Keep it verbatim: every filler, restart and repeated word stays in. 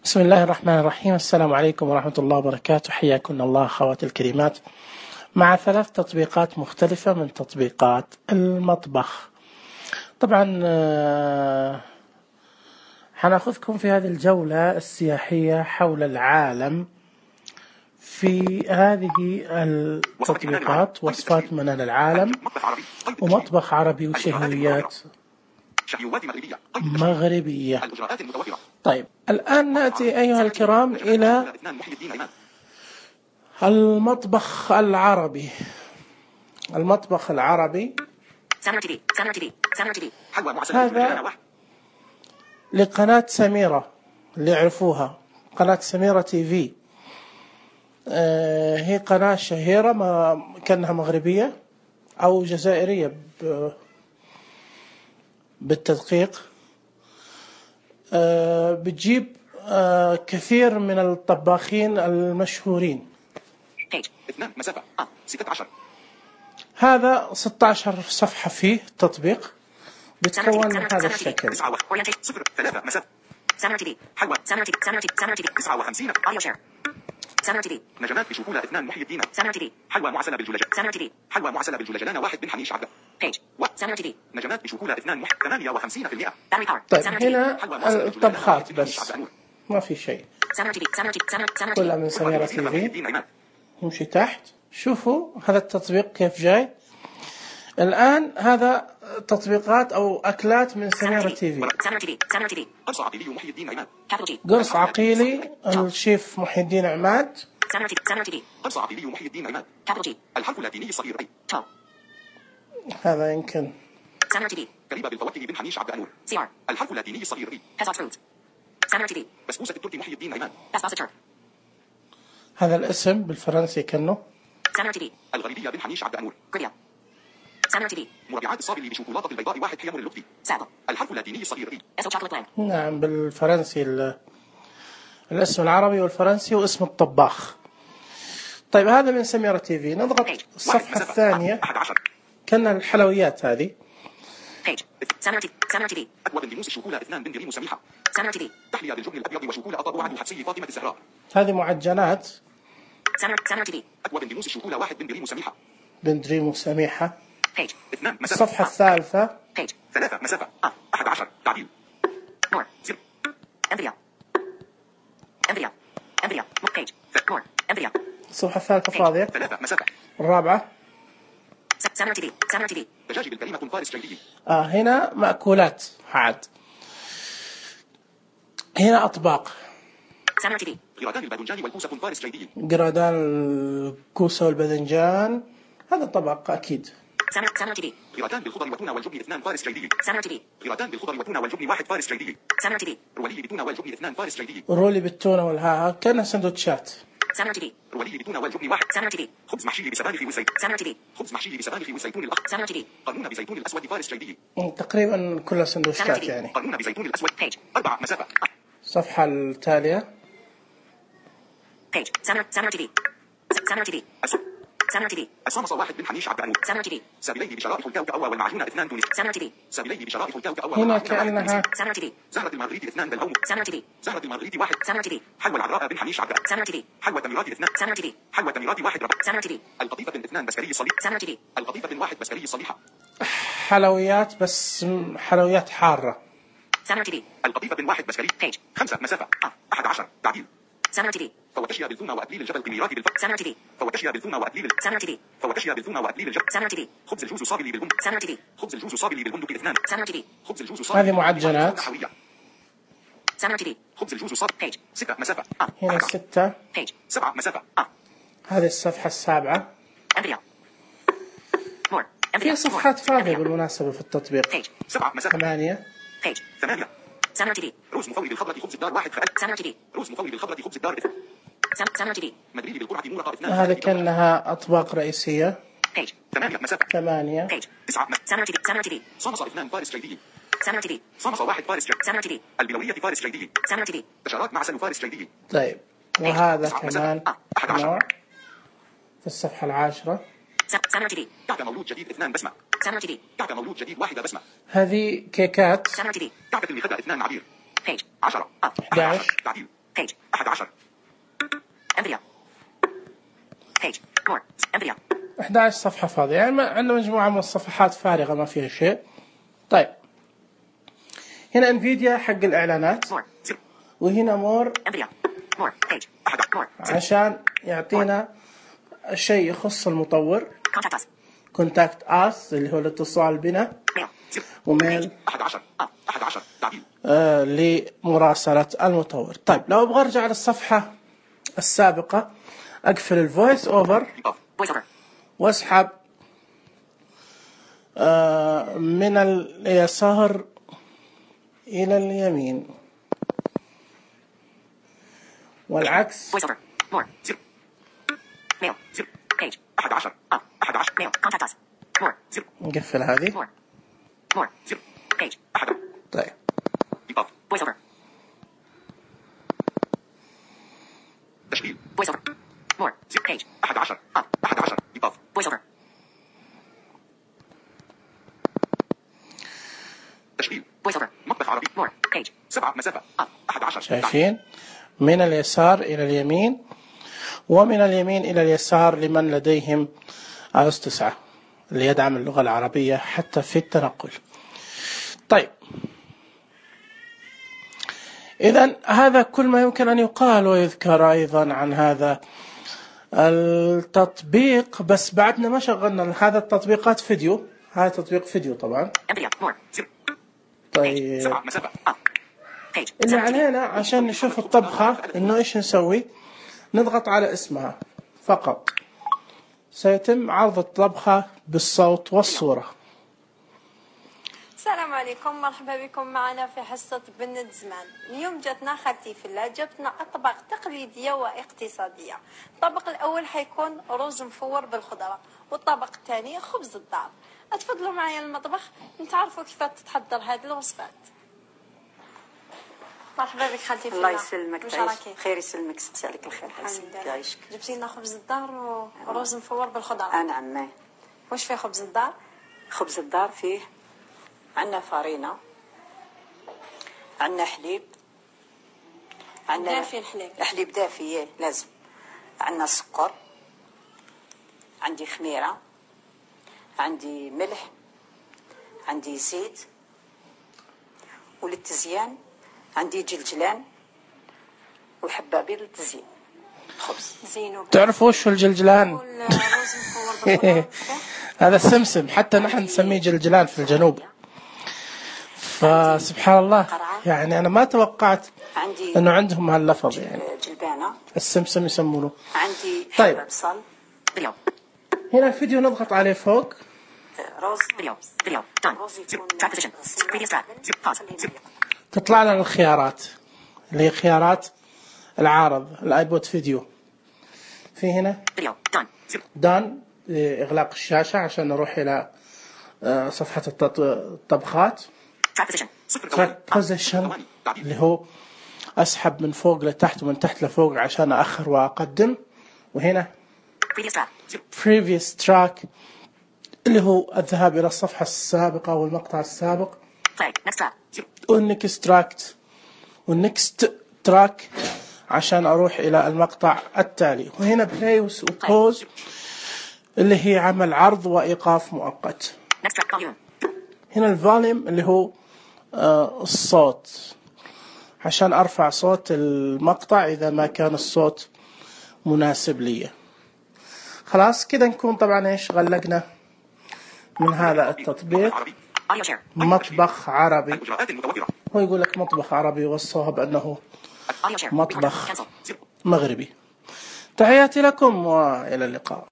بسم الله الرحمن الرحيم. السلام عليكم ورحمة الله وبركاته. حياكم الله أخواتي الكريمات مع ثلاث تطبيقات مختلفة من تطبيقات المطبخ. طبعا حناخذكم في هذه الجولة السياحية حول العالم في هذه التطبيقات، وصفات منال العالم ومطبخ عربي وشهويات مغربية. طيب الآن نأتي أيها الكرام إلى المطبخ العربي. المطبخ العربي هذا لقناة سميرة اللي يعرفوها، قناة سميرة تي في. آه هي قناة شهيرة، ما كأنها مغربية أو جزائرية بالتدقيق. آه بتجيب آه كثير من الطباخين المشهورين. هذا ستة عشر صفحة فيه تطبيق، بتكون من هذا الشكل. نجمات بشوكولة اثنان محي الدين. سامر تي في. حلوى معسلة بالجلجل. سامر تي في. حلوى معسلة بالجلجلانة واحد بن حنيش عبده. بيج. سامر تي في. نجمات بشوكولة اثنان محي ثمانية وخمسين بالمئة. طيب هنا الطبخات بس ما في شيء، كلها من سميرة تي في. نمشي تحت، شوفوا هذا التطبيق كيف جاي. الآن هذا تطبيقات أو أكلات من سميرة تي في. قرص عقيلي محي الدين عماد. قرص عقيلي الشيف محي الدين عماد. قرص عقيلي محي الدين عماد. الحرف اللاتيني الصغير أي. هذا يمكن كريبة بالفواكه بن حنيش عبد أنور. الحرف اللاتيني الصغير أي. بسبوسة التركي محي الدين عماد. هذا الاسم بالفرنسي كأنه الغريبية بن حنيش عبد أنور. مربعات الصابلي بشوكولاتة البيضاء واحد حيمر اللطفي. الحرف اللاتيني الصغير أي. نعم بالفرنسي الاسم العربي والفرنسي واسم الطباخ. طيب هذا من سميرة تي في. نضغط الصفحة الثانية كأنها الحلويات هذه. أكوى بندموس الشوكولة اثنان بن دريم سميحة. تحلية بالجبن الأبيض وشوكولة أطاب وعد حبسي فاطمة الزهراء. هذه معجنات. أكوى بندموس الشوكولة واحد بن دريم سميحة. بن دريم سميحة. اثنان مسافة. الصفحة الثالثة. ثلاثة مسافة. أحد عشر تعديل. مور زر. أمبريا. أمبريا. أمبريا. بيج. مور. أمبريا. الصفحة الثالثة فاضية. ثلاثة مسافة. الرابعة. سامر تي في. سامر تي في. دجاج بالكريمة فارس جيدي. آه هنا مأكولات عاد. هنا أطباق. سامر تي في. قرادان الباذنجان والكوسة فارس جيدي. قرادان الكوسة والباذنجان هذا طبق أكيد. سامر سامر تي في. قرادان بالخضر وتونة والجبن اثنان فارس جيدي. سامر تي في. قرادان بالخضر وتونة والجبن واحد فارس جيدي. سامر تي في. رولي بالتونة والجبن اثنان فارس جيدي. رولي بالتونة والها كأنها سندوتشات. سامر تي في. رولي بالتونة والجبن واحد. سامر تي في. خبز محشي بسبانخ والزيت. سامر تي في. خبز محشي بسبانخ والزيتون الأخضر. سامر تي في. قانون بزيتون الأسود فارس جيدي. تقريبا كلها سندوتشات يعني. قانون بزيتون الأسود. بيج. أربعة مسافة. الصفحة التالية. بيج. سامر سامر تي في. سامر تي في. سامر تي في. الصامصة واحد بن حنيش عبد أنور. سامر تي في. سابليه بشرائح الكاوكاو والمعجونة اثنان تونس. سامر تي في. سابليه بشرائح الكاوكاو هنا كأنها سامر تي في. زهرة المارغريت اثنان بالهوم. سامر تي في. زهرة المارغريت واحد. سامر تي في. حلوى العذراء بن حنيش عبد. سامر تي في. حلوى تمرات اثنان. سامر تي في. حلوى تمرات واحد ربع. سامر تي في. القطيفة بن اثنان بسكري الصليب. سامر تي في. القطيفة بن واحد بسكري الصليحة. حلويات بس حلويات حارة. سامر تي في. القطيفة بن واحد بسكري. بيج. خمسة مسافة. أحد عشر تعديل. سامر تي في. فوتشيا بالثومة وأكليل الجبل قميرات بالفرق. سامر تي في. فوتشيا بالثومة وأكليل. سامر تي في. فوتشيا بالثومة وأكليل الجبل. سامر تي في. خبز الجوز صابلي بالبندق. سامر تي في. خبز الجوز صابلي بالبندق اثنان. سامر تي في. خبز الجوز صابلي. هذه معجنات. سامر تي في. خبز الجوز صابلي. بيج. ستة مسافة. هنا ستة. بيج. سبعة مسافة. هذه الصفحة السابعة. أمبريا. مور. في صفحات فاضية بالمناسبة في التطبيق. بيج. سبعة مسافة. ثمانية. بيج. ثمانية. سامر تي في. روز مفوي بالخضرة خبز الدار واحد فأل. سامر تي في. روز مفوي بالخضرة خبز الدار اثنان. سامر تي في. مدريد بالقرعة مورقة اثنان. هذا كأنها أطباق رئيسية. بيج. ثمانية مسافة. ثمانية. بيج. تسعة. سامر تي في. سامر تي في. صامصة اثنان فارس جيدي. سامر تي في. صامصة واحد فارس جيدي. سامر تي في. البلورية فارس جيدي. سامر تي في. بشارات معسل فارس جيدي. طيب وهذا كمان نوع في الصفحة العاشرة. سامر تي في. كعكة مولود جديد اثنان بسمة. سامر تي في. كعكة مولود جديد واحدة بسمة. هذه كيكات. سامر تي في. كعكة المخدة اثنان عبير. بيج. عشرة. أحد عشر. تعديل. Page. أحد عشر. NVIDIA. Page. More. NVIDIA. أحد عشر صفحة فاضية، يعني عندنا مجموعة من الصفحات فارغة ما فيها شيء. طيب هنا انفيديا حق الإعلانات، وهنا مور عشان يعطينا شيء يخص المطور. كونتاكت اس اللي هو الاتصال بنا، وميل آه لمراسلة المطور. طيب لو ابغى ارجع للصفحة السابقة اقفل الفويس اوفر واسحب آه من اليسار إلى اليمين والعكس. نقفل هذه. طيب تشغيل voice over more page أحد عشر أحد عشر إضافة voice over تشغيل voice over مطبخ عربي more page سبعة مسافة أحد عشر. شايفين من اليسار إلى اليمين ومن اليمين إلى اليسار لمن لديهم آي أو إس تسعة اللي يدعم اللغة العربية حتى في التنقل. طيب إذن هذا كل ما يمكن أن يقال ويذكر أيضا عن هذا التطبيق، بس بعدنا ما شغلنا هذا التطبيقات فيديو. هذا تطبيق فيديو طبعا. طيب اللي علينا عشان نشوف الطبخة إنه إيش نسوي، نضغط على اسمها فقط، سيتم عرض الطبخة بالصوت والصورة. السلام عليكم، مرحبا بكم معنا في حصة بنت زمان. اليوم جاتنا خالتي فلا جبتنا أطباق تقليدية واقتصادية. الطبق الأول حيكون رز مفور بالخضرة، والطبق الثاني خبز الدار. أتفضلوا معي المطبخ نتعرفوا كيف تتحضر هذه الوصفات. مرحبا بك خالتي فلا. الله يسلمك، تعيش خير يسلمك، ستي عليك الخير. يعيشك. جبتي لنا خبز الدار ورز مفور بالخضرة. آه نعم. واش فيه خبز الدار؟ خبز الدار فيه عندنا فارينة، عندنا حليب، عندنا دافي الحليب حليب دافي لازم، عندنا سكر، عندي خميرة، عندي ملح، عندي زيت، وللتزيان عندي جلجلان وحبابي للتزيين. خبز زين. تعرفوا وش الجلجلان؟ هذا السمسم، حتى نحن نسميه جلجلان في الجنوب. فسبحان الله، يعني أنا ما توقعت أنه عندهم هاللفظ، يعني جلبانة السمسم يسمونه. عندي طيب بصل. هنا الفيديو نضغط عليه فوق. روز تطلع لنا الخيارات اللي هي خيارات العارض الايبود فيديو. في هنا دان إغلاق الشاشة عشان نروح إلى صفحة الطبخات. تراك بوزيشن اللي هو أسحب من فوق لتحت ومن تحت لفوق عشان أأخر وأقدم. وهنا previous track اللي هو الذهاب إلى الصفحة السابقة والمقطع السابق. والنكست تراكت والنكست تراك عشان أروح إلى المقطع التالي. وهنا بلاي وبوز اللي هي عمل عرض وإيقاف مؤقت. هنا الفوليوم اللي هو آه الصوت عشان أرفع صوت المقطع إذا ما كان الصوت مناسب لي. خلاص كده نكون طبعا إيش غلقنا من هذا التطبيق. مطبخ عربي، هو يقول لك مطبخ عربي والصواب أنه مطبخ مغربي. تحياتي لكم وإلى اللقاء.